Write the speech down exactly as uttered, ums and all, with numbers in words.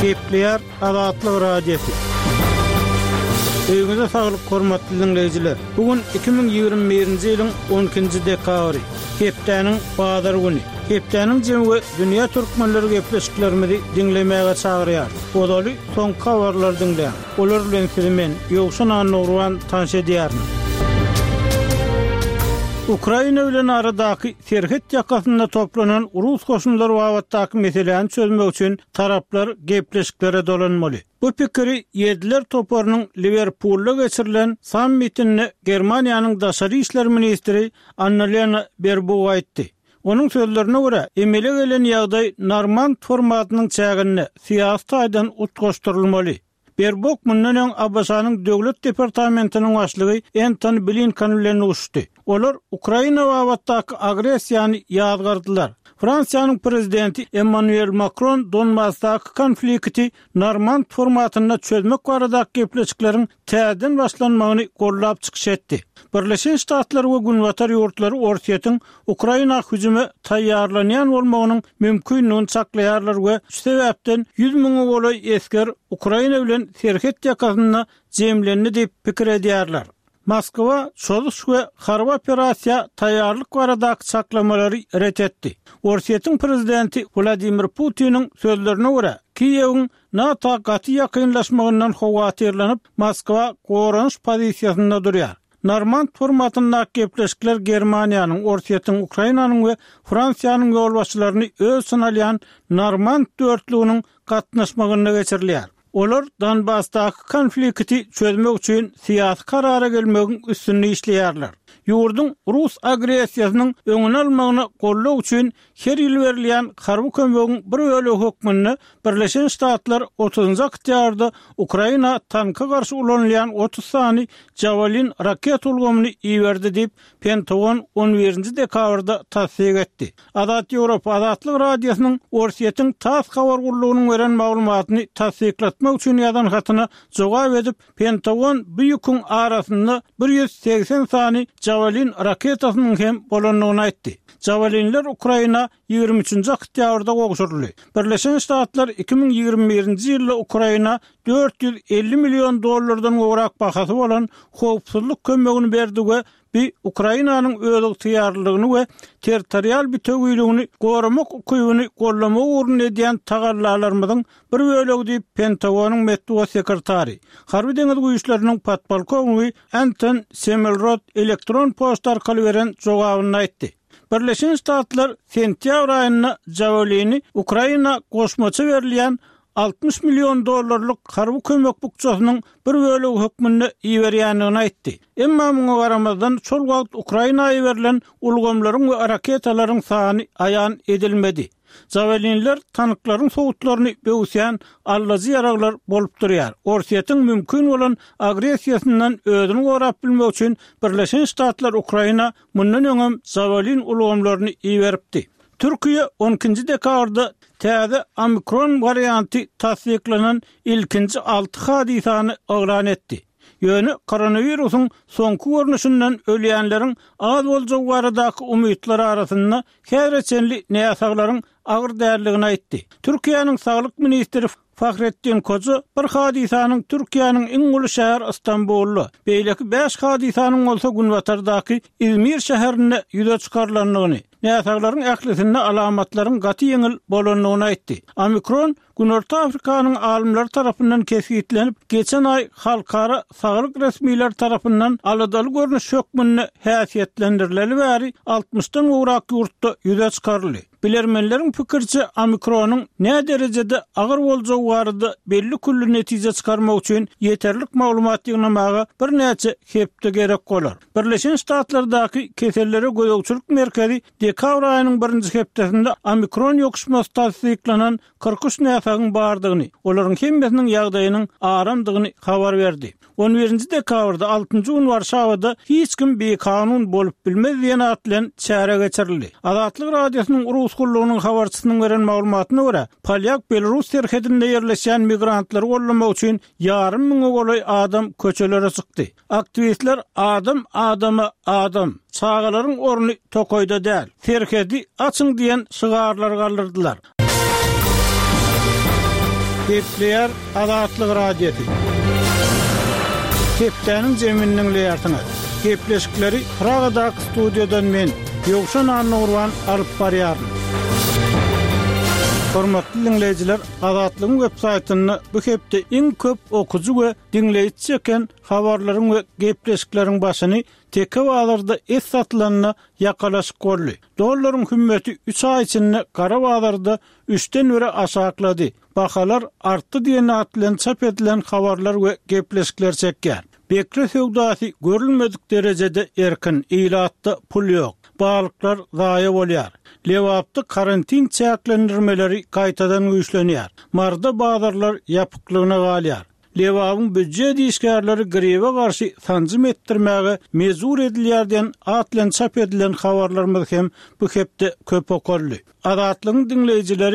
Gepleýär Azatlyk Radiosy. Öýüňize saglyk hormatly diňleýjiler. Bu gün iki müň ýigrimi birinji ýylyň on ikinji dekabry, hepdäniň bazar güni. Hepdäniň jemi we dünýä türkmenleri gepleşiklerimizi diňlemäge çagyrýar. Ozaly soňky habarlary diňläň. Olar bilen sizi men, Ýowşan Annagurban tanyş edýärin. Ukraina bilen aradaky serhet ýakasynda toplanan rus goşunlary babatdaky meseläni çözmek üçin taraplar gepleşiklere dolanmaly. Bu pikiri Ýediler toparynyň Liwerpulda geçirilen sammitinde Germaniýanyň daşary işler ministri Annalena Berbuk aýtdy. Onuň sözlerine görä, emele gelen ýagdaý Normand formatynyň çäginde syýasy taýdan utgaşdyrylmaly. Berbuk mundan öň A B Ş-nyň Döwlet departamentiniň başlygy Entoni Blinken bilen duşuşdy. Olar Ukraina babatdaky agressiýany ýazgardylar. Fransiýanyň prezidenti Emmanuel Macron Donbasdaky konflikti Normand formatynda çözmek baradaky gepleşikleriň täzeden başlanmagyny gollap çykyş etdi. Birleşen Ştatlar we Günbatar ýurtlary Orsýetiň Ukraina hüjüme taýýarlanýan bolmagynyň mümkinligini çaklaýarlar we şu sebäpden ýüz müňe golaý esger Ukraina bilen serhet ýakasynda jemlendi diýip pikir edýärler. Moskwa çozuş we harby operasiýa taýýarlyk baradaky çaklamalary ret etdi. Orsýetiň prezidenti Wladimir Putiniň sözlerine görä, Kiýewiň NATO gaty ýakynlaşmagyndan howatyrlanyp, Moskwa goranyş pozisiýasynda durýar. Normand formatyndaky gepleşikler Germaniýanyň, Orsýetiň, Ukrainanyň we Fransiýanyň ýolbaşçylaryny öz içine alýan Normand dörtlüginiň gatnaşmagynda geçirilýär. Olar Donbasdaky konflikti çözmek üçin syýasy karara gelmegiň üstünde işleýärler. Ýurduň rus agressiýasynyň öňüni almagyna goldaw üçin her ýyl berilýän harby kömegiň bir bölegi hökmünde Birleşen Ştatlar otuzynjy oktýabrda Ukraina tanka garşy ulanylýan otuz sany Javelin raket ulgamyny iberdi diýip, Pentagon on birinji dekabrda tassyk etdi. Azat Ýewropa Azatlyk Radiosynyň Orsýetiň TASS habar gullugynyň beren maglumatyny tassyklatmak üçin ýazan hatyna jogap edip, Pentagon bu ýüküň arasynda bir ýüz segsen sany Javelin raketasynyň hem bolandygyny aýtdy. Javelinler Ukraina ýigrimi üçünji oktýabrda gowşuryldy. Birleşen Ştatlar iki müň ýigrimi birinji ýylda Ukraina dört ýüz elli million dollardan gowrak bahasy bolan howpsuzlyk kömegini berdi we bu Ukrainanyň özygtyýarlylygyny we territorial bütewiligini goramak ukybyny gollamak ugrunda edýän tagallalarymyzyň bir bölegi diýip Pentagonyň metbugat sekretary, Harby deňiz güýçleriniň podpolkownigi Anton Semelrod elektron poçta arkaly beren jogabynda aýtdy. Birleşen Ştatlar sentýabr aýynda Javelini Ukraina goşmaça berilýän altmyş million dollarlyk harby kömek bukjasynyň bir bölegi hökmünde iberýändigini aýtdy. Emma muňa garamazdan şol wagt Ukraina iberilen ulgamlaryň we raketalaryň sany aýan edilmedi. Javelinler tanklaryň sowutlaryny böwsýän allajy ýaraglar bolup durýar. Orsýetiň mümkin bolan agressiýasyndan özüni gorap bilmek üçin Birleşen Ştatlar Ukraina mundan öňem Javelin ulgamlaryny iberipdi. Türkiýe on ikinji dekabrda täze Omikron warianty tassyklanan ilkinji alty hadysany yglan etdi. Ýöne koronawirusyň soňky görnüşinden ölýänleriň az boljagy baradaky umytlar arasynda häzire çenli näsaglaryň agyr däldigini aýtdy. Türkiýäniň saglyk ministri Fahrettin Koca bir hadysanyň Türkiýäniň iň uly şäheri Istanbulda, beýleki bäş hadysanyň bolsa günbatardaky Izmir şäherinde ýüze çykarylandygyny, näsaglaryň ählisinde alamatlaryň gaty ýeňil bolandygyny aýtdy. Omikron Günorta Afrikanyň alymlary tarapyndan kesgitlenip, geçen aý halkara saglyk resmileri tarapyndan aladaly görnüş hökmünde häsiýetlendirileli bäri altmyşdan gowrak ýurtda ýüze çykaryldy. Bilermenleriň pikiriçe, Omikronyň nä derejede agyr boljagy barada belli külli netije çykarmak üçin ýeterlik maglumat ýygnamaga birnäçe hepde gerek bolar. Birleşen Ştatlardaky kesellere gözegçilik merkezi dekabr aýynyň birinji hepdesinde Omikron ýokuşmasy tassyklanan kyrk üç näsagyň bardygyny, olaryň hemmesiniň ýagdaýynyň aramdygyny habar berdi. On birinji dekabrda altynjy gün Warşawada hiç kim bikanun bolup bilmez diýen at bilen çäre geçirildi. Azatlyk Radiosynyň Rus gullugynyň habarçysynyň beren maglumatyna görä, Polýak-Belarus serhedinde ýerleşýän migrantlary gollamak üçin ýarym müňe golaý adam köçelere çykdy. Aktiwistler adam adama adam, çagalaryň orny tokaýda däl, serhedi açyň diýen şygarlary galdyrdylar. Gepleýär Azatlyk Radiosy. Hepdäniň jemini diňleýärsiňiz. Gepleşikleri Pragadaky studiýadan men, Ýowşan Annagurban alyp barýaryn. Hormatly diňleýjiler, Azatlygyň web saýtynda bu hepde iň köp okyjy we diňleýji çeken habarlaryň we gepleşikleriň başyny Teke bazarda et satylanda ýakalaşyk boldy. Dollaryň hümmeti üç aý içinde gara bazarda üçden bire aşaklady. Bahalar artdy diýen at bilen çap edilen habarlar we gepleşikler çekýär. Bekre söwdasy görülmedik derejede erkin, ilatda pul ýok. Balyklar zaýa bolýar. Lebapda karantin çäklendirmeleri gaýtadan güýçlenýär. Maryda bazarlar ýapyklygyna galýar. Lebabyň býujet işgärleri gribe garşy sanjym etdirmäge mejbur edilýär diýen at bilen çap edilen habarlarymyz hem bu hepde köp okaldy. Azatlygyň diňleýjileri